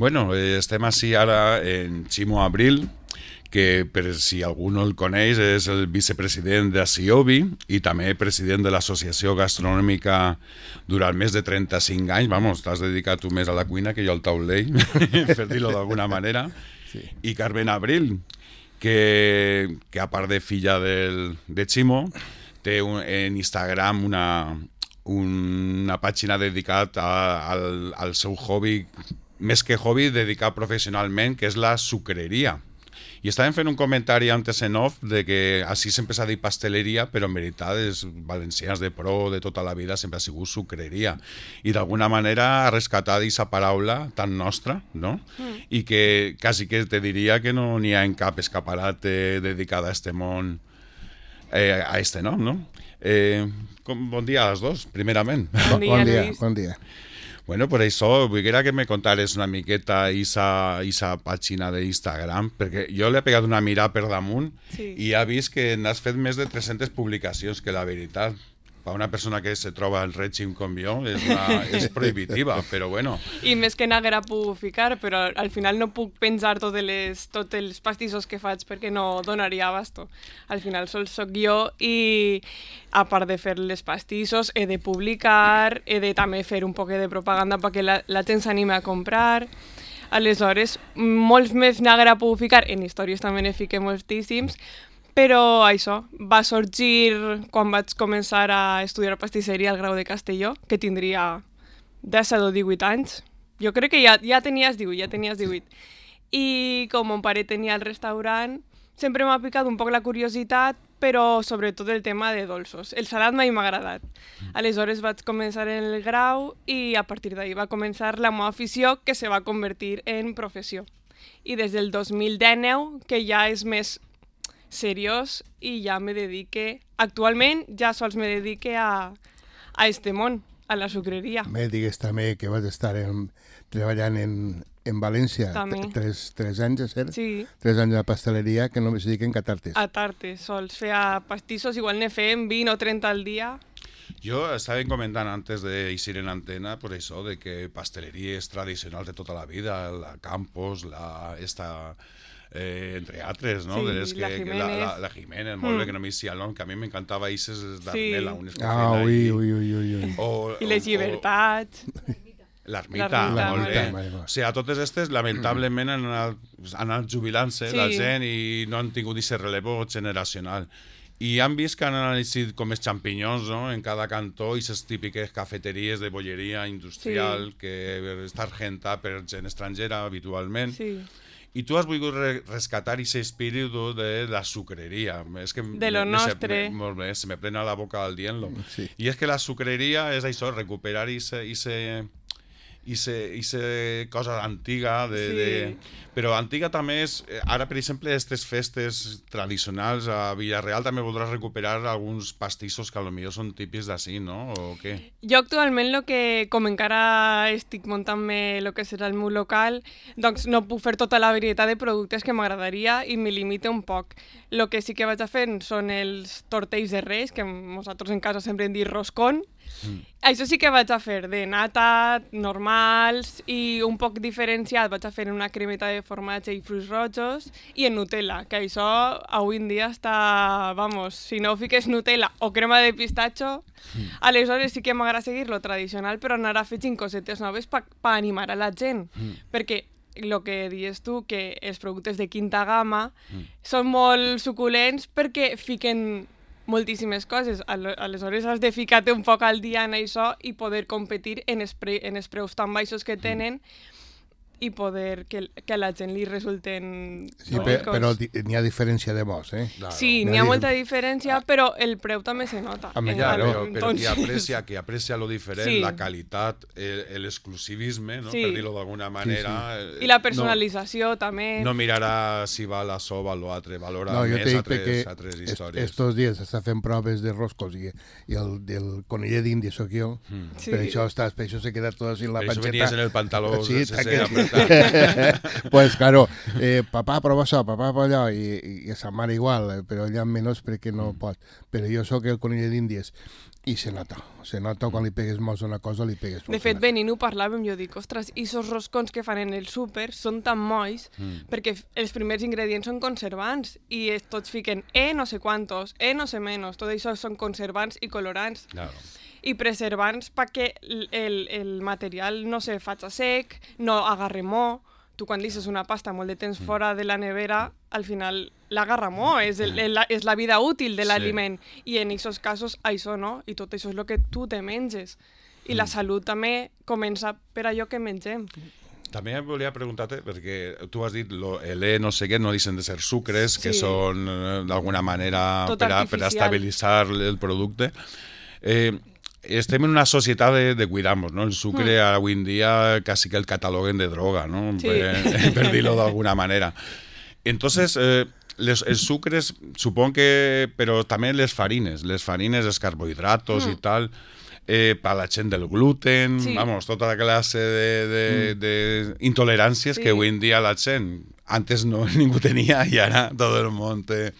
Bueno, estem així ara en Ximo Abril, que per si algú no el coneix és el vicepresident d'Asiobi i també president de l'Associació Gastronòmica durant més de 35 anys. Vamos, t'has dedicat tu més a la cuina que jo al taulell, per dir-ho d'alguna manera. Sí. I Carmen Abril, que a part de filla de Ximo, té en Instagram una pàgina dedicada al seu hobby, més que hobby, dedicat professionalment, que és la sucreria. I estàvem fent un comentari antes en off de que així sempre s'ha dit pasteleria, però en veritat els valencians de pro de tota la vida sempre ha sigut sucreria. I d'alguna manera ha rescatat aquesta paraula tan nostra, no? I que quasi que te diria que no n'hi ha en cap escaparate dedicada a este món, a este nom, no? Bon dia a les dos, primerament. Bon dia. Bueno, per això, vull que me contares una miqueta aquesta pàgina d'Instagram, perquè jo l'he pegat una mirada per damunt i he vist que n'has fet més de 300 publicacions, que la veritat, per una persona que se troba en règim com jo, és prohibitiva, però bueno. I més que n'haguera pogut ficar, però al final no puc pensar tots els pastissos que faig perquè no donaria abasto. Al final sols soc jo i a part de fer les pastissos he de publicar, he de també fer un poc de propaganda perquè la gent s'anima a comprar. Aleshores, molts més n'haguera pogut ficar, en històries també n'he ficat moltíssims, però això va sorgir quan vaig començar a estudiar pastisseria al Grau de Castelló, que tindria 17 o 18 anys. Jo crec que ja tenies 18. I com mon pare tenia el restaurant, sempre m'ha picat un poc la curiositat, però sobretot el tema de dolços. El salat mai m'ha agradat. Aleshores vaig començar el grau i a partir d'ahir va començar la meva afició, que se va convertir en professió. I des del 2019, que ja és més seriós, i ja me dedique, actualment ja sols me dedique a este món, a la sucreria. Me digues també que vas estar treballant en València 3 anys, és cert? Sí. 3 anys de pasteleria que només es dediquen a tartes. A tartes, sols feia pastissos, igual ne fem 20 o 30 al dia. Jo estava comentant antes d'eixir en antena per això de que pasteleries tradicionals de tota la vida, la Campos, entre altres, no? Sí, la Jiménez. La Jiménez, molt bé, que no m'hi sia el nom, que a mi m'encantava Ises d'Armela, unes que feien ahí. Ui. I les llibertats. L'Ermita, molt bé. O sigui, a totes aquestes, lamentablement, han anat jubilant-se la gent i no han tingut aquest relevo generacional. I han vist que han anat com els xampinyons, no?, en cada cantó, i les típiques cafeteries de bolleria industrial que està argentada per gent estrangera habitualment. Sí. I tu has volgut rescatar aquest espírit de la sucreria. De lo nostre. Molt bé, se me plena la boca al dient-lo. Sí. I és que la sucreria és això, recuperar aquesta cosa antiga, però antiga també és, ara per exemple, aquestes festes tradicionals a Villarreal també voldràs recuperar alguns pastissos que potser són típics d'ací, no? O què? Jo actualment, com encara estic muntant-me el que serà el meu local, doncs no puc fer tota la varietat de productes que m'agradaria i me limite un poc. El que sí que vaig a fer són els tortells de Reis, que nosaltres en casa sempre hem dit roscón. Això sí que vaig a fer de nata, normals i un poc diferenciat. Vaig a fer una cremeta de formatge i fruits rojos i en Nutella, que això avui en dia està, vamos, si no fiques Nutella o crema de pistatxo, aleshores sí que m'agrada seguir lo tradicional, però anar a fer cosetes noves per animar a la gent, perquè el que dius tu, que els productes de quinta gamma són molt suculents perquè fiquen moltíssimes coses. Aleshores has de ficar-te un poc al dia en això i poder competir en els preus tan baixos que tenen i poder que a la gent li resulten bonics. Però n'hi ha diferència de mos, eh? Claro. Sí, n'hi ha molta diferència, però el preu també se nota. Però qui aprecia lo diferent, la qualitat, l'exclusivisme, no? Per dir-ho d'alguna manera. I la personalització també. No mirarà si va la soba o l'altre, valora més altres històries. Estos dies està fent proves de roscos i el conillet d'Índia soc jo, per això se queda tot així en la panxeta. Per això venies en el pantaló. Sí, pues claro, papà prova això, papà prova allò, i sa mare igual, però ella menys perquè no pot. Però jo sóc el conill d'Índies. I se nota quan li pegues mos a una cosa, li pegues mos. De fet, venint ho parlàvem, jo dic, ostres, i esos roscons que fan en el súper són tan molls perquè els primers ingredients són conservants i tots fiquen no sé quantos, no sé menos, tot això són conservants i colorants. Claro. I preservants perquè el material no se faig a sec, no agarre mo. Tu quan deixes una pasta molt de temps fora de la nevera, al final l'agarra molt, és la vida útil de l'aliment. I en aquests casos això no, i tot això és el que tu te menges. I la salut també comença per allò que mengem. També volia preguntar-te, perquè tu has dit no sé què, no deixen de ser sucres, que són d'alguna manera per estabilitzar el producte. Estem en una societat de cuidar-nos, ¿no? El sucre avui en dia quasi que el cataloguen de droga, ¿no? Sí. Per dir-lo d'alguna manera. Entonces, els sucres, supongo que... Però també les farines, els carbohidratos i tal, per la gent del gluten, vamos, tota classe d'intoleràncies que avui en dia la gent antes no ningú tenia i ara tot el món té.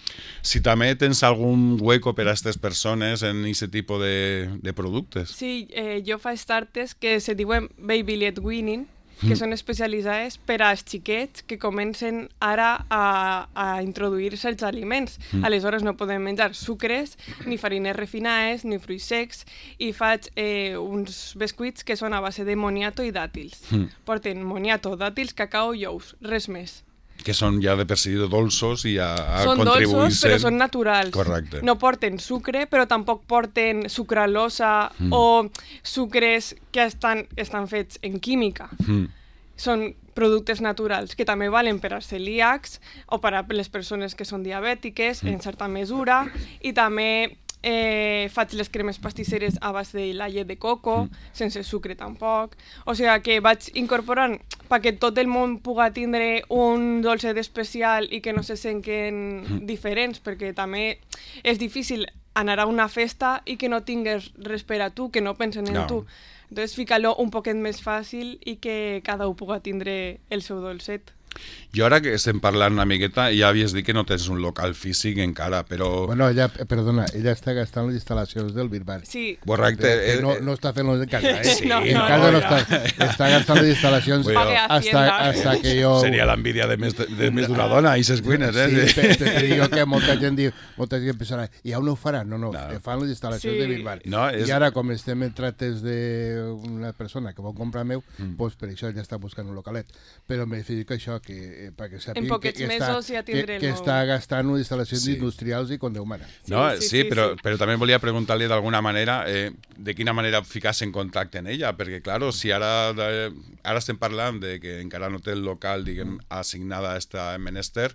Si també tens algun hueco per a aquestes persones en aquest tipus de productes. Sí, jo faig tartes que se diuen Baby Led Weaning, que són especialitzades per als xiquets que comencen ara a introduir-se els aliments. Aleshores no podem menjar sucres, ni farines refinades, ni fruits secs, i faig uns biscuits que són a base de moniato i dàtils. Porten moniato, dàtils, cacau i ous, res més. Que són ja de per si dolços i ja són dolços, però són naturals. Correcte. No porten sucre, però tampoc porten sucralosa o sucres que estan fets en química. Són productes naturals que també valen per als celíacs o per a les persones que són diabètiques en certa mesura, i també faig les cremes pastisseres a base de la llet de coco, sense sucre tampoc. O sigui que vaig incorporant perquè tot el món pugui tindre un dolçet especial i que no se senten diferents, perquè també és difícil anar a una festa i que no tingues res per a tu, que no pensen en tu. Entonces, fica-lo un poquet més fàcil i que cada un pugui tindre el seu dolcet. Jo ara que estem parlant una miqueta, ja havies dit que no tens un local físic encara, però... Bueno, ella està gastant les instal·lacions del Birbar. Sí. Correcte. No està fent-lo en casa, Sí, en casa no està gastant les instal·lacions hasta que jo... Seria l'envidia de més d'una dona, i ses cuines, Sí, però dic que molta gent diu, molta gent pensarà, i ja no ho faran? No, fan les instal·lacions de Birbar. I ara, com estem en trates d'una persona que vol comprar meu, doncs per això ja està buscant un localet. Però me dic això, que perquè sàpiguen que està gastant unes instal·lacions industrials i com Déu mana. Sí, però també volia preguntar-li d'alguna manera de quina manera ficar-se en contacte amb ella, perquè, clar, si ara estem parlant de que encara no té el local, diguem, assignada a esta menester,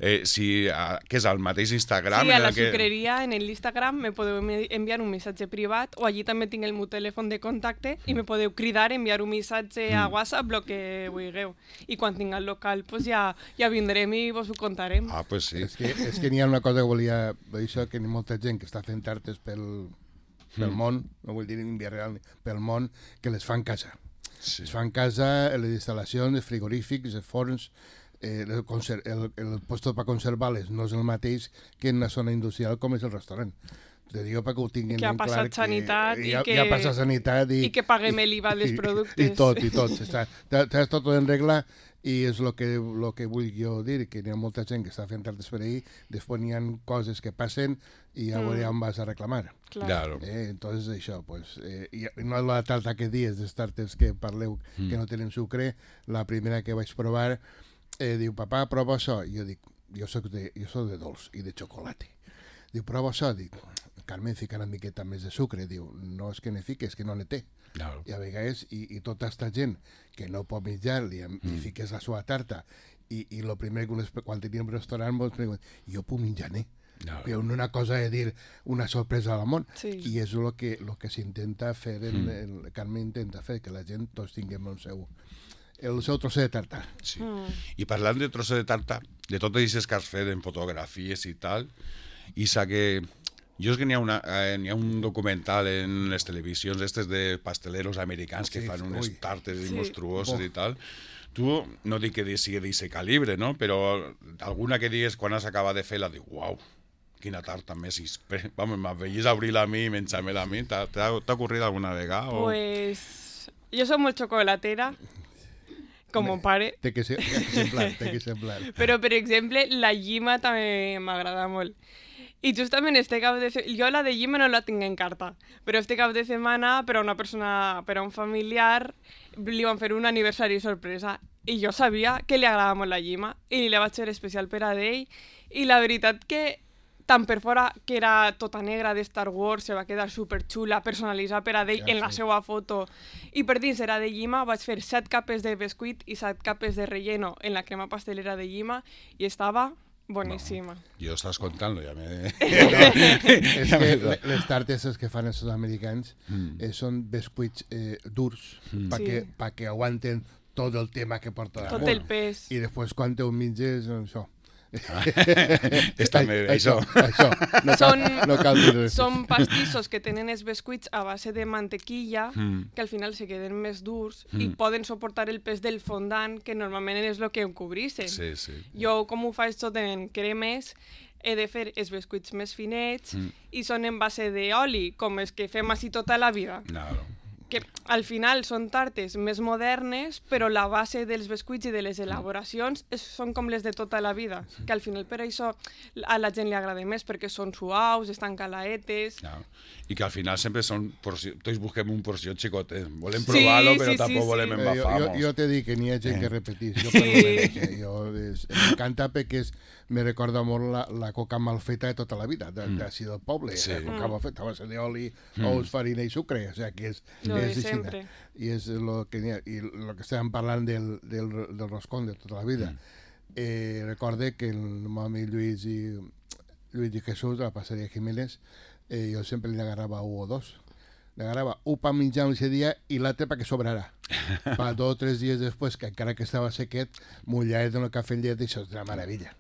que és al mateix Instagram... Sí, a la sucreria, en l'Instagram, me podeu enviar un missatge privat, o allí també tinc el meu telèfon de contacte i me podeu cridar, enviar un missatge a WhatsApp, el que vulgueu. I quan tinc el local, pues ja vindrem i vos ho contarem. Ah, pues sí. És que n'hi ha una cosa que volia dir, que hi ha molta gent que està fent tartes pel món, no vull dir en via real, pel món, que les fan casa. Es fan casa, les instal·lacions, els frigorífics, els forns, el puesto per conservar-les no és el mateix que en una zona industrial com és el restaurant. Te digo perquè ho tinguin ben clar. Que ha passat sanitat i que paguem l'IVA dels productes. I tot. Està tot en regla i és el que vull jo dir, que hi ha molta gent que està fent tardes per ahir, després n'hi ha coses que passen i ja veuré on vas a reclamar. Claro. Entonces això, pues, no és la tarta que dies, les tartes que parleu que no tenen sucre, la primera que vaig provar diu, papà, prova això. I jo dic, jo soc de dolç i de xocolata. Diu, prova això. Dic, Carmen, fica una miqueta més de sucre. Diu, no és que ne fiques, que no ne té. Claro. I a vegades, i tota aquesta gent que no pot menjar, li fiques la seva tarta, i el primer que quan teníem restaurant ens pregunten, jo puc menjar, Però una cosa de dir una sorpresa al món. I és el que s'intenta fer, Carmen intenta fer, que la gent tots tinguem el seu trosset de tarta. Sí. I parlant de trosset de tarta, de tot això que has fet en fotografies i tal, i que jo és que n'hi ha un documental en les televisions estes de pasteleros americans que fan unes tartes monstruoses i tal. Tu, no dic que sigui d'aquest calibre, no? Però alguna que digues quan has acabat de fer la diu, uau, Quina tarta més vamos, m'afegís a obrir-la a mi i menjar-me-la a mi. T'ha ocorrit alguna vegada? Pues jo soc molt xocolatera, com mon pare. Té que semblar. Però, per exemple, la llima també m'agrada molt. I justament este cap de setmana... Jo la de llima no la tinc en carta, però este cap de setmana per a una persona, per a un familiar, li van fer un aniversari sorpresa i jo sabia que li agradava molt la llima i li vaig fer especial per a ell i la veritat que tant per fora, que era tota negra de Star Wars, se va quedar superxula, personalitzada per a ell en la seva foto. I per dins era de llima, vaig fer 7 capes de bescuit i 7 capes de relleno en la crema pastelera de llima i estava boníssima. Jo estàs contant-lo, ja me... És que les tartes que fan els americans són bescuits durs perquè aguanten tot el tema que porta damunt. Tot el pes. I després quan te ho menges, això. Està bé, això. No cal dir res. Són pastissos que tenen els bescuits a base de mantequilla que al final se queden més durs i poden suportar el pes del fondant, que normalment és el que ho cobreixen. Sí, sí. Jo, com ho faig tot en cremes, he de fer els bescuits més finets i són en base d'oli, com els que fem així tota la vida. Claro. Que al final són tartes més modernes, però la base dels bescuits i de les elaboracions són com les de tota la vida, que al final per això a la gent li agrada més, perquè són suaus, estan calaetes... I que al final sempre són... Tots busquem un porció xicotet. Volem provar-lo, però tampoc volem embafar-nos. Jo te dic que n'hi ha gent que repetís. M'encanta perquè me recorda molt la coca mal feta de tota la vida, d'ací del poble. La coca mal feta, a base d'oli, ous, farina i sucre. O sigui, que és sempre. I és el que n'hi ha. I el que estàvem parlant del roscón de tota la vida. Recorde que el meu amic Lluís i Jesús, a la passeria Jiménez, jo sempre li agarrava un o dos. Li agarrava un per menjar un dia i l'altre perquè sobrarà. Per 2 o 3 dies després, que encara que estava sequet, mulladet en el cafè amb llet, això és una meravella.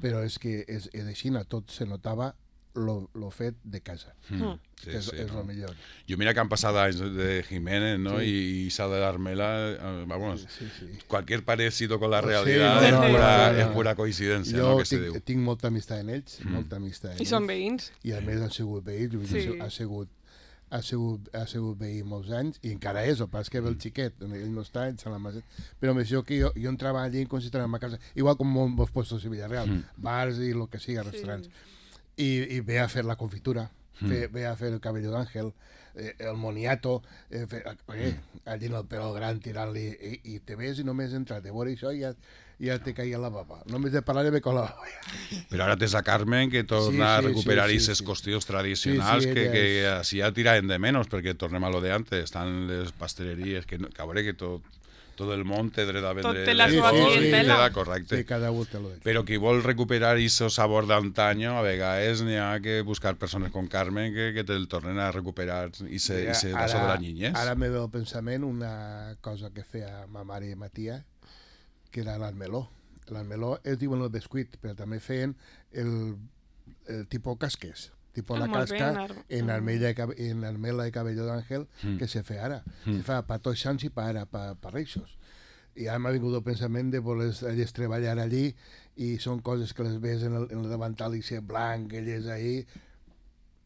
Però és que és així, tot se notava lo fet de casa, que és el millor. Jo mira que han passat anys de Jiménez, ¿no? Y Isa de Armela, vamos, cualquier parecido con la realidad es pura coincidencia. Jo tinc molta amistat en ells, molta amistat en ells. I són veïns. I a més han sigut veïns, ha sigut veí molts anys i encara és, el pas que ve el xiquet, ell no està, ell se l'ha masat. Però més jo que jo entrava allí com si estava a casa, igual com molts puestos de Villarreal, bars i el que sigui, restaurants. Y ve a fer la confitura, ve a fer el cabello d'àngel, el moniato, allí en el pèl gran tirant-li, i te ves i només entrar de veure això i ja te caia la baba. Només de parlar de cola. Però ara tens a Carmen que torna a recuperar aquestes qüestions tradicionals que així ja tiraven de menys, perquè tornem a lo de antes, estan les pasteleries, que a veure que tot el món té dret a vendre... Tot té la seva clientela. Correcte. Sí, cada un té lo de... Però qui vol recuperar aquest sabor d'antanyo, a vegades n'hi ha que buscar persones com Carmen que te'l tornen a recuperar i se vaso de la niñez. Ara me ve al pensament una cosa que feia ma mare i ma tia, que era l'almeló. L'almeló es diuen el bescuit, però també feien el tipus casques. Tipo la casca en almela de cabello d'àngel que se fe ara. Se fa per tots sants i per reixos. I ara m'ha vingut el pensament de voler treballar allí i són coses que les ves en el davantal i ser blanc, elles ahí,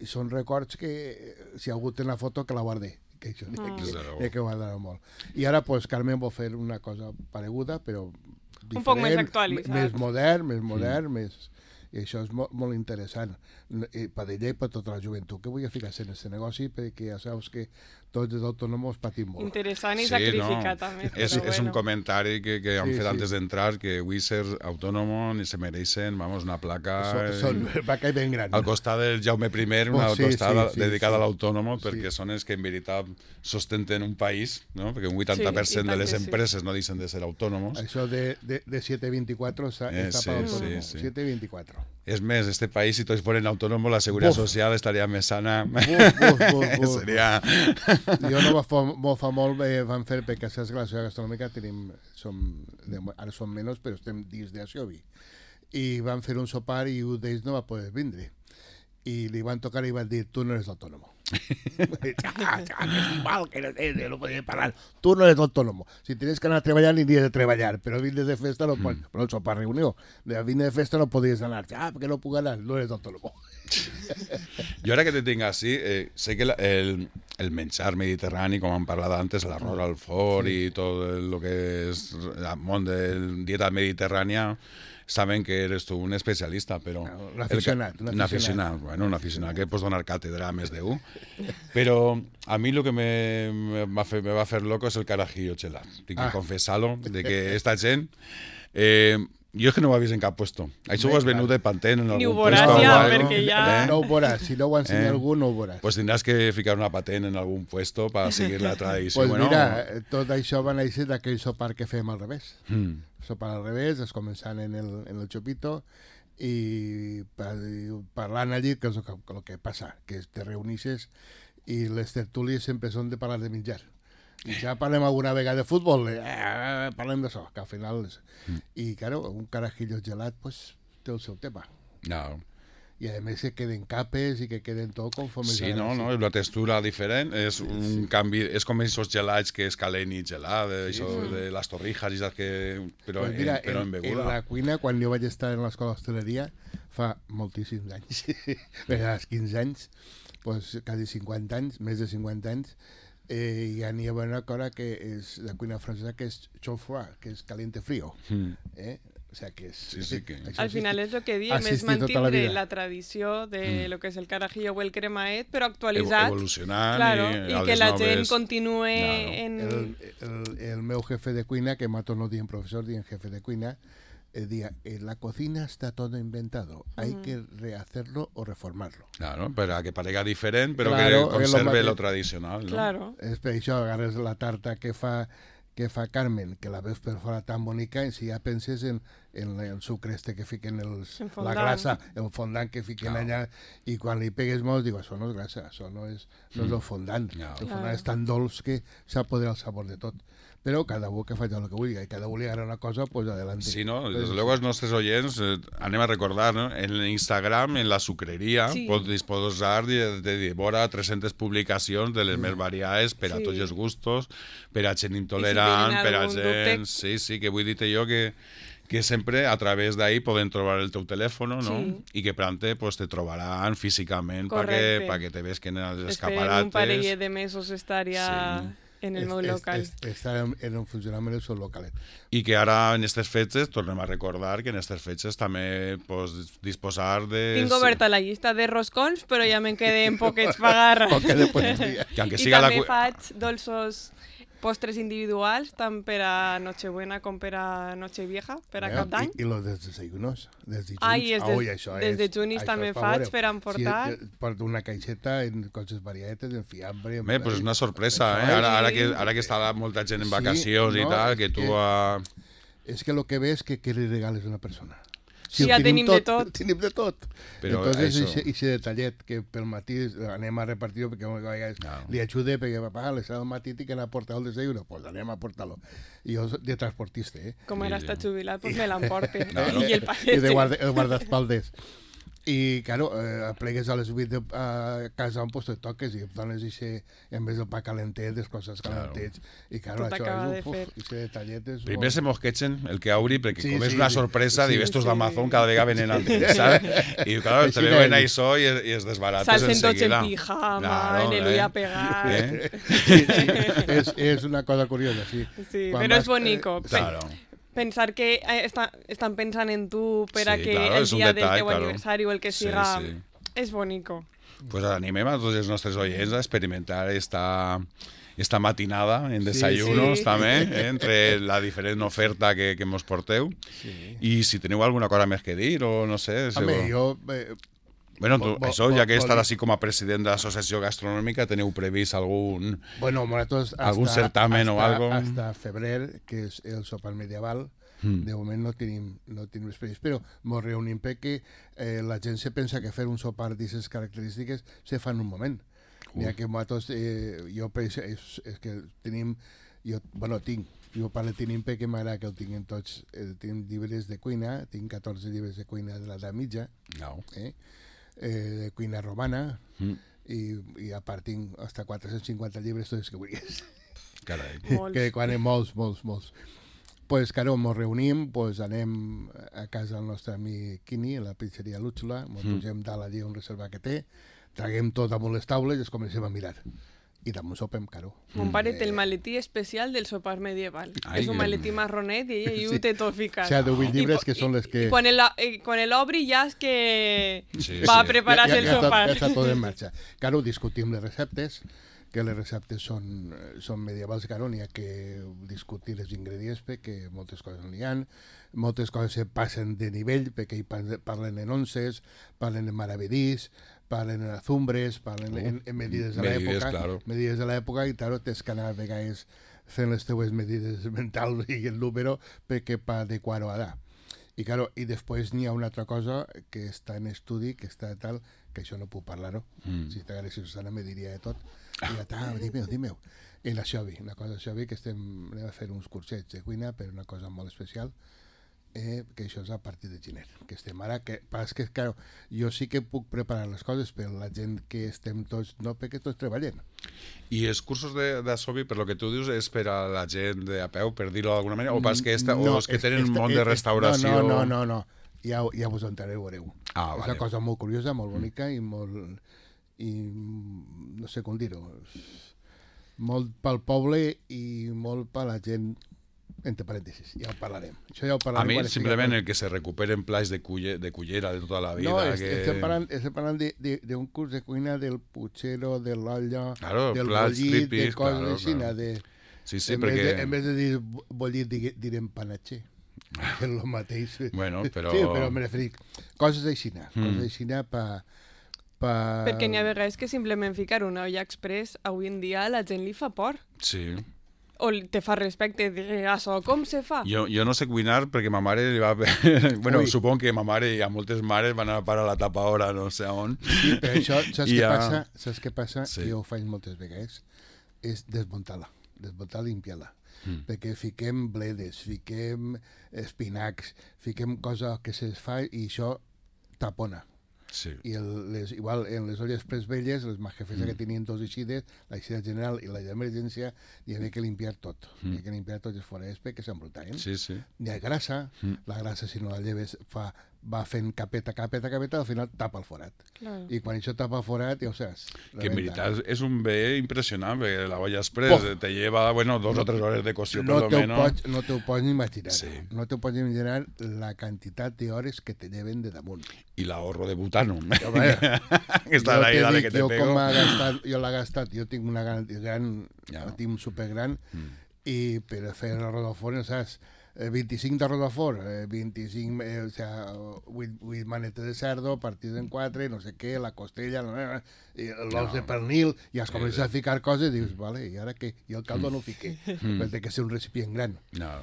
i són records que si algú té una foto que la guardi, que això n'hi ha que guardar molt. I ara pues Carmen vol fer una cosa pareguda, però diferent, un poc més actualitzat, més modern, més... I això és molt interessant per ella i per tota la joventut que vull ficar-se en aquest negoci, perquè ja saps que tots els autònoms patim molt. Interessant i sacrificat també. És un comentari que han fet antes d'entrar, que avui ser autònom se mereixen, vamos, una placa ben gran. Al costat del Jaume I, una costada dedicada a l'autònom, perquè són els que en veritat sostenten un país, no? Perquè un 80% de les empreses no deixen de ser autònoms. Això de 724 està per l'autònom. 724. És més, este país, si tots foren autònoms, la seguretat social estaria més sana. Seria... Jo no fa molt vam fer, perquè saps que la societat gastronòmica ara som menys, però estem dins d'Asiobi. I van fer un sopar i un d'ells no va poder vindre. I li van tocar i van dir, tu no eres autònom. Que mal, que no podía parar. Tú no eres autónomo. Si tienes que anar a treballar, aniries a treballar. Però vines de festa no pots. Però el sopar reunió. De vines de festa no podies anar. Perquè no puc anar, no eres autónomo. Jo ara que te tinc així, sé que el menjar mediterrani, com hem parlat antes, l'arròs al forn i tot el que és el món de dieta mediterrània, saben que eres tu un especialista, però... Un aficionat. Un aficionat que pots donar càtedra a més d'un. Però a mi el que me va fer loco és el carajillo gelat. Tinc que confessar-lo, de que esta gent... jo és que no ho he vist en cap puesto. Això ho has venut de Pantene en algun puesto. Ni ho veuràs ja, perquè ja... No ho veuràs. Si no ho ensenya algú, no ho veuràs. Pues tindràs que ficar una patent en algun puesto per seguir la tradició. Pues mira, tot això va néixer d'aquell sopar que fem al revés. Sopar al revés, es començant en el xopito i parlant allí, que és el que passa, que te reunixes i les tertúlies sempre són de parlar de menjar. I ja parlem alguna vegada de futbol, parlem d'això, que al final... I, claro, un carajillo gelat, pues, té el seu tema. No. I a més que queden capes i que queden tot conforme... Sí, no, és una textura diferent, és un canvi, és com aquests gelats que és calent i gelat, això de les torrijas i saps que... Però en beguda. En la cuina, quan jo vaig estar en l'escola d'hostaleria, fa moltíssims anys, als 15 anys, pues, quasi 50 anys, més de 50 anys, hi havia una cosa que és de cuina francesa que és chaud froid, que és caliente frío. O sea que és... Sí, que... Al final és el que diem, és mantindre la tradició de lo que és el carajillo o el cremaet, però actualitzat. Evolucionant. Claro, i que la gent continuï en... El meu jefe de cuina, que mato no dient professor, dient jefe de cuina, decía, la cocina está todo inventado, hay que rehacerlo o reformarlo. Claro, para que parezca diferente, pero claro, que conserve lo tradicional, ¿no? Claro. És per això, agarres la tarta que fa Carmen, que la veus per fora tan bonica, i si ja penses en el sucre este que fiquen la grassa, el fondant que fiquen allà, i quan li pegues molt, digo, això no és grassa, això no és el fondant. El fondant és tan dolç que s'apodera el sabor de tot. Però cada un que faci el que vulgui, i cada un li agrada una cosa, pues adelante. Sí, no, desde luego els nostres oients, anem a recordar, ¿no? En Instagram, en la sucreria, pots disposar de vora 300 publicacions de les més variades per a tots els gustos, per a gent intolerant, per a gent... Sí, que vull dir-te jo que sempre a través d'ahí poden trobar el teu telèfon, no? I que prante pues, te trobaran físicament perquè te vesquen els escaparates. Esperen un parell de mesos estar ja... en el meu local. Està en un funcionament el seu localet. I que ara, en aquestes fetges, tornem a recordar que en aquestes fetges també pots disposar de... Tinc oberta la llista de roscons, però ja me'n queden poquets pagar. I també faig dolços postres individuals, tant per a Nochebuena com per a Nochevieja, per a Cap d'Any. I los desayunos, des de junis. Des de junis també faig per emportar. Porto una caixeta en coses variades, en fiambre... Pues és una sorpresa, ara que està molta gent en vacacions i tal, que tu... És que el que ves és que li regales a una persona. Si ja tenim de tot. Tenim de tot. Però entonces, ese detallet que pel matí anem a repartir-ho perquè li ajude, perquè papà, les del matí tinc que anar a portar el desayuno, pues anem a portar-lo. I jo de transportista, Com ara està jubilat, pues me l'emporte. I el passeig. I de guardaespaldes. I, claro, plegues a les 8 a casa on pues, te toques i dones en vez del pa calentet, les coses calentets. I, claro, això és ese detallet és... Primer se mosquechen el que obri, perquè com és una sorpresa, divestos d'Amazon cada vegada venen antes, ¿sabes? I, claro, te veuen això i es desbarates enseguida. Salsen tots en pijama, en el ull a pegar... És una cosa curiosa, sí. Sí, però és bonico. Claro. Pensar que estan pensant en tu per a que el dia del teu aniversari o el que siga és bonico. Pues animem a tots els nostres oients a experimentar esta matinada en desayunos també, entre la diferent oferta que mos porteu. I si teniu alguna cosa més que dir o no sé... Home, jo... Bueno, això, ja que estàs així com a president de l'associació gastronòmica, teniu previst algun certamen o algo? Hasta febrer, que és el sopar medieval, de moment no tenim previst, però ens reunim perquè la gent se pensa que fer un sopar d'aquestes característiques se fa en un moment. Ja que nosaltres, jo penso, és que tenim, jo parlo tenim perquè m'agrada que el tinguem tots, tenim llibres de cuina, tinc 14 llibres de cuina de l'edat mitja, de cuina romana, i a part tinc hasta 450 llibres, tots que vulguis. Carai. Que quan molts. Pues, claro, ens reunim, pues, anem a casa del nostre amic Quini, a la pizzeria Lúxula, ens pugem dalt allí un reserva que té, traguem tot damunt les taules i es comencem a mirar. I damunt sopem, claro. Mon pare té el maletí especial del sopar medieval. És un maletí marronet i ell ho té tot ficat. O sigui, 18 llibres que són les que... I quan l'obri ja és que va a preparar-se el sopar. Ja està tot en marxa. Claro, discutim les receptes, que les receptes són medievals, claro, n'hi ha que discutir els ingredients perquè moltes coses n'hi ha, moltes coses se passen de nivell perquè hi parlen en onces, parlen en maravedís, parlen en azumbres, parlen en medides de l'època, claro. Medides de l'època, i claro, tens que anar a vegades fent les teues medides mentals i el número perquè per adequar-ho a allà. I, claro, i després n'hi ha una altra cosa que està en estudi, que està tal, que això no puc parlar-ho. Si t'agrada, Susana, me diria de tot. I ja, dimeu. I la Xovi, una cosa Xovi, que anem a fer uns cursets de cuina per una cosa molt especial, que això és a partir de gener, que estem ara, que pas que, claro, jo sí que puc preparar les coses, però la gent que estem tots, no, perquè tots treballem. I els cursos d'Asobi, per lo que tu dius, és per a la gent de a peu, per dir-ho d'alguna manera, o pas que o els que tenen un món de restauració... No. Ja vos entrareu, veureu. És una cosa molt curiosa, molt bonica i molt... no sé com dir-ho. Molt pel poble i molt per la gent, entre parèntesis, ja ho parlarem. Això ja ho parlarem. A mi, simplement, el que se recuperen plats de cullera de tota la vida... No, estem parlant d'un curs de cuina del puchero, de l'olla, del bollit, de coses així, de... Sí, perquè... En vez de dir bollit, direm panatxer. Que és el mateix. Bueno, però... Sí, però me referim. Coses així, Perquè n'hi ha vegades que simplement ficar una olla express, avui en dia la gent li fa por. Sí. O te fa respecte, això, com se fa? Jo no sé cuinar perquè ma mare li va... bueno, supongo que ma mare i a moltes mares van a parar la tapadora no sé on. Sí, però això, saps què passa? Sí. Jo ho faig moltes vegades. És desmuntar-la i limpiar-la. Perquè fiquem bledes, fiquem espinacs, fiquem coses que se fa i això tapona. Sí. I igual en les olles pres velles, les majefes que tenien dos eixides, l'eixida general i la d'emergència, hi havia que limpiar tot. Hi havia que limpiar tots els forats perquè s'embrutaven. Sí. Hi ha grassa, la grassa si no la lleves va fent capeta, al final tapa el forat. Claro. I quan això tapa el forat, ja ho saps. Que en veritat és un bé impressionant, perquè la olla express te lleva, 2 o 3 hores de cocció, per lo menos. No t'ho pots ni imaginar. Sí. No t'ho pots imaginar la quantitat d'hores que te lleven de damunt. I l'ahorro de butano. Aquesta és la idea que te pego. Jo l'he gastat, jo tinc una gran, tinc supergran, i per fer arròs al forn, saps? 25 d'arròs al forn, 25, o sea, 8 manetes de cerdo, partides en 4, no sé què, la costella, l'os de pernil, i es comences a ficar coses i dius, vale, i ara què? I el caldo no ho fiqué, perquè té que ser un recipient gran. No.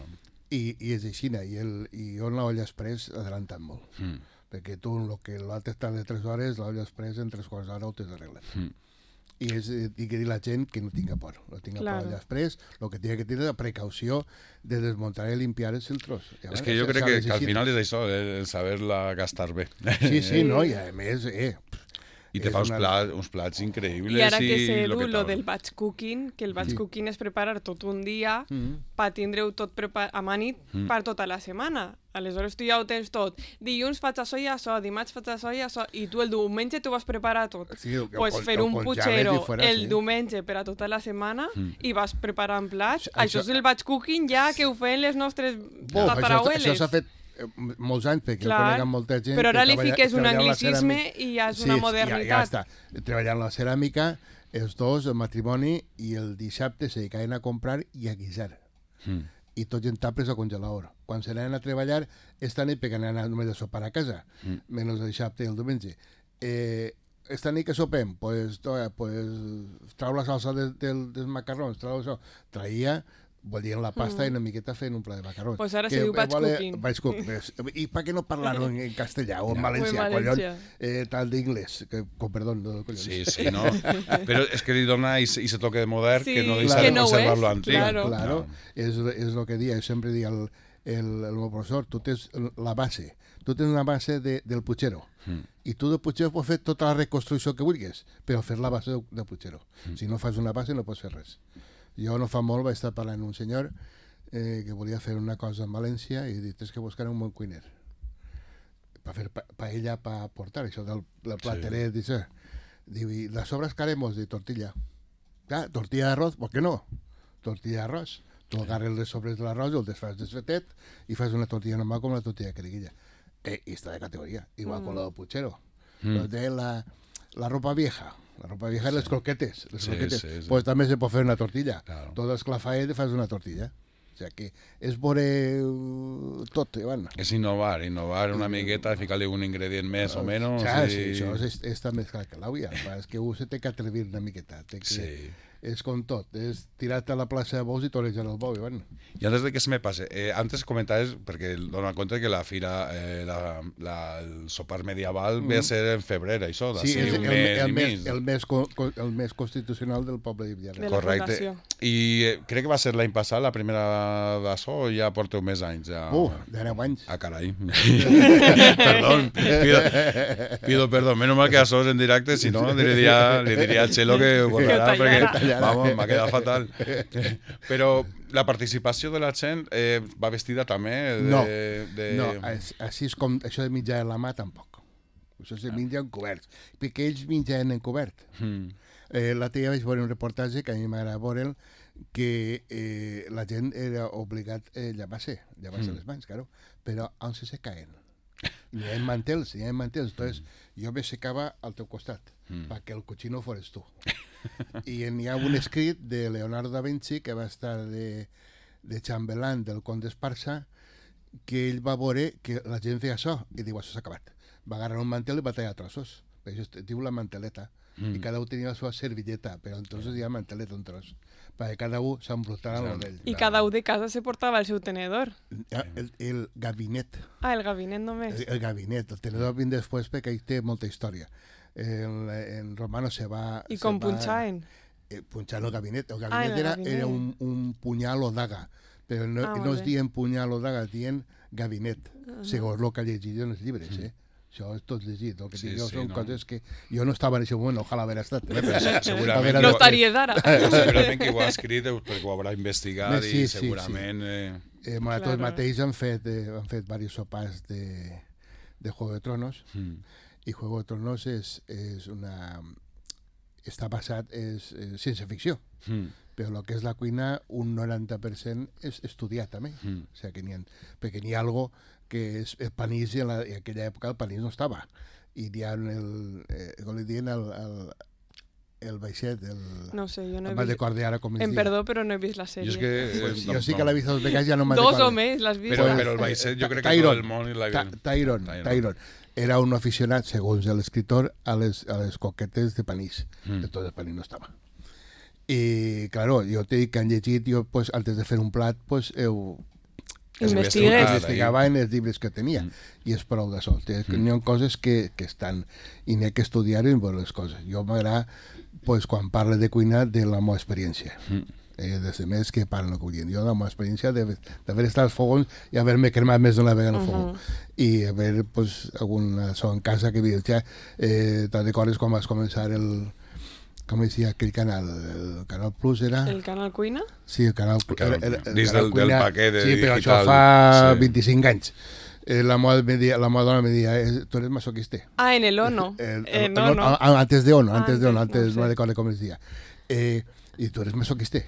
I és així, i jo en l'olla express adelantant molt. Perquè tu, el que l'altre està de 3 hores, l'olla express en 3 quarts d'hora ho tens arreglat. I que dir la gent que no tinga por. No tinga por allà després, el que tingui que tenir la precaució de desmuntar i limpiar els filtros. És que jo crec que al final és això, el saber-la gastar bé. Sí, no, i a més... I te fa uns plats increïbles. I ara que sé lo del batch cooking, que el batch cooking és preparar tot un dia per tindre-ho tot amanit per tota la setmana. Aleshores tu ja ho tens tot. Dilluns faig això i això, dimarts faig això i això, i tu el diumenge t'ho vas preparar tot. Pues fer un puchero el diumenge per a tota la setmana i vas preparant plats. Això és el batch cooking ja que ho feien les nostres tatarabueles. Això s'ha fet molts anys, perquè jo conec molta gent... Però ara li fiques un anglicisme i ja és una modernitat. Ja està. Treballant la ceràmica, els dos, el matrimoni, i el dissabte se dedicaven a comprar i a guisar. I tots en tapes al congelador. Quan se n'anaven a treballar, esta nit, perquè anaven només a sopar a casa, menys el dissabte i el diumenge. Esta nit que sopem, pues trau la salsa dels macarrons, trau això. Traia... volien la pasta i una miqueta fent un pla de macarrons. Pues ara se diu batch cooking. Batch cooking. I per què no parlar-ho en castellà o en valencià? Tal d'inglès. Perdó. Sí, no. Però és que li dona i se toque de modern que no deixa de no conservar-lo antic. Claro. És el que dia. Jo sempre dic el meu professor, tu tens la base, tu tens una base del Puigero, i tu del Puigero pots fer tota la reconstrucció que vulguis, però fer la base del Puigero. Si no fas una base no pots fer res. Jo no fa molt vaig estar parlant amb un senyor que volia fer una cosa en València i he dit, és que buscar un bon cuiner per fer paella per portar, això del plateret, sí. Diu, i las sobras que haremos de tortilla. Clar, tortilla d'arroz, ¿por qué no? Tortilla d'arroz. Tu agarres les sobres de l'arròs, el desfas desfetet i fas una tortilla normal com la tortilla de queriguilla. Y está de categoría, igual con lo de Puigero. De la ropa vieja. La ropa vieja, les croquetes. Les croquetes. Sí. Pues també se pot fer una tortilla. Claro. Tot esclafaet i fas una tortilla. O sigui que és veure tot, Ivan. És innovar una miqueta, ficar-li un ingredient més o menys. Sí, això està més clar que l'àvia. És que se té que atrevir una miqueta. Sí. És com tot, és tirar-te a la plaça de bous i torejar el bou, Ivan. I antes de que se me pase, antes comentaves, perquè dona compte que la fira, el sopar medieval ve a ser en febrer, això, sí, és el mes constitucional del poble de Villarreal. Correcte. I crec que va ser l'any passat, la primera d'això, o ja porteu més anys? Ja... de 9 anys. Ah, carai. Perdón. Pido perdón. Menos mal que això és en directe, si no, li diria al Chelo que ho borrarà, perquè... Vamos, m'ha quedat fatal. Però la participació de la gent va vestida també No, així és com això de menjar a la mà tampoc. Això se menja encobert, perquè ells menjaven encobert. L'altre dia vaig veure un reportatge que a mi m'agrada veure'l, que la gent era obligat a llevar-se les mans, claro, però on se caen? N'hi ha mantels, entonces jo me secava al teu costat, perquè el cochino fores tu. I n'hi ha un escrit de Leonardo da Vinci, que va estar de xambelán del conde Esparsa, que ell va veure que la gent feia això, i diu, això s'ha acabat. Va agarrar un mantel i va tallar trossos. Per això es diu la manteleta. I cada un tenia la seva servilleta, però entonces hi ha manteleta un tros, perquè cada un s'embrutava amb l'ell. I cada un de casa se portava el seu tenedor. El gabinet. Ah, el gabinet només. El gabinet. El tenedor vin després perquè ell té molta història. En Romano se va... I com punxaven? Punxant el gabinet. El gabinet era un punyal o daga, però no es dient punyal o daga, es dient gabinet, segons el que ha llegit en els llibres, Això és tot llegit, el que dic jo són coses que jo no estava en aquest moment, ojalà haver estat. Segurament no estaries ara. Segurament que ho ha escrit perquè ho haurà investigat i segurament... Tots mateix han fet diversos sopars de Juego de Tronos, i Juego de Tronos està basat en ciència ficció, però el que és la cuina un 90% és estudiat també, o sigui perquè n'hi ha algo que és el panís, i en aquella època el panís no estava, i hi ha com li diuen el baixet, no sé, jo no he vist, ara com em perdó, però no he vist la sèrie. Jo sí que l'he vist dos vegades, ja no me'n recordo. 2 o més l'has vist? Però el baixet jo crec que tot el món l'ha vist. Tyron era un aficionat, segons l'escriptor, a les coquetes de panís. Entonces el panís no estava. I, claro, jo t'he dit que han llegit, jo, pues, antes de fer un plat, pues, investigava en els llibres que tenia, i és prou de sol. N'hi ha coses que estan, i n'hi ha que estudiar i veure les coses. Jo m'agrada, pues, quan parle de cuina, de la meva experiència. Des de més que parlen el que vull dir. Jo, la meva experiència d'haver estat als fogons i haver-me cremat més d'una vegada en el fogó. I haver, pues, alguna so en casa que dius, te'n recordes quan vas començar com es deia aquell canal? El Canal Plus era... El Canal Cuina? Sí, el Canal Cuina. Dins del paquet digital. Sí, però això fa 25 anys. La meva dona me deia, tu eres masoquista. Ah, en el Ono. No. Antes de Ono, antes no recordo com es deia. I tu eres masoquista.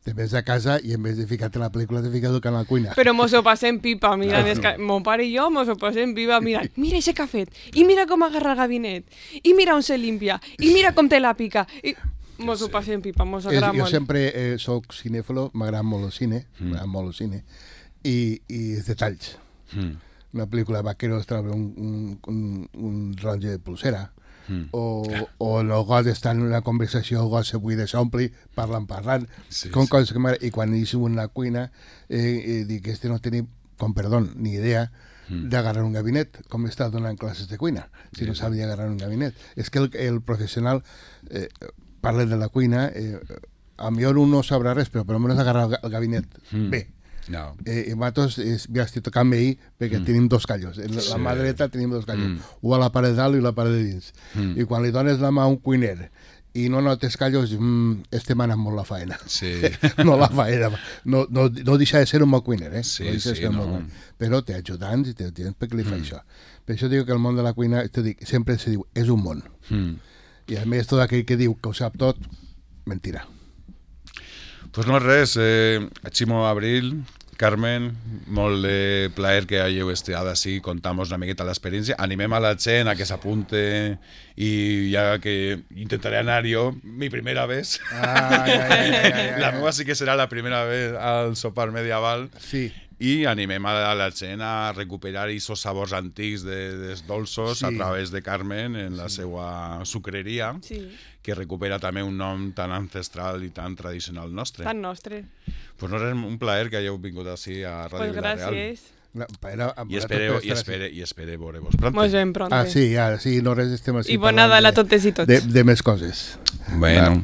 Te ves a casa i en vez de ficar-te la pel·lícula te fiques al Canal Cuina. Però mos ho passem pipa, mira, mon pare i jo mos ho passem pipa, mira ese cafè, i mira com agarra el gabinet, i mira on se limpia, i mira com te la pica, i mos ho passem pipa, mos agrada molt. Jo sempre soc cinèfilo, m'agrada molt el cine, i els detalls. Una pel·lícula de vaqueros treure un ronge de pulsera, o el got està en una conversació, el got se buida, s'ompli, parlant, com coses que m'agrada. I quan hi som en la cuina, dic, no tenia, com perdó, ni idea d'agarrar un gabinet, com està donant classes de cuina, si no sabia agarrar un gabinet. És que el professional parla de la cuina, a millor un no sabrà res, però per almenys agarrar el gabinet bé. No. I nosaltres ja estic tocant ahir perquè tenim dos callos. La mà dreta tenim dos callos. Un a la part de dalt i la part de dins. I quan li dones la mà a un cuiner i no notes callos, estem anant molt la faena. Sí. No la faena. No deixa de ser un bon cuiner, eh? Sí, sí, no. Però té ajudants i té gent perquè li fa això. Per això dic que el món de la cuina, sempre se diu, és un món. I a més, tot aquell que diu que ho sap tot, mentira. Pues no res, Ximo Abril, Carmen, molt de plaer que hàgiu estat així, contem-vos una miqueta l'experiència, animem a la gent a que s'apunte i ja que intentaré anar jo mi primera vez. La meva sí que serà la primera vez al sopar medieval. Sí. I animem a la gent a recuperar aquests sabors antics dels dolços a través de Carmen en la seva sucreria, que recupera també un nom tan ancestral i tan tradicional nostre. Tan nostre. Pues no és un plaer que hagueu vingut així a Ràdio Vila-real. Gràcies. I espere veure-vos pronto. Mos veiem pronto. Sí, no res, estem així I bon Nadal a totes i tots. de més coses. Bueno.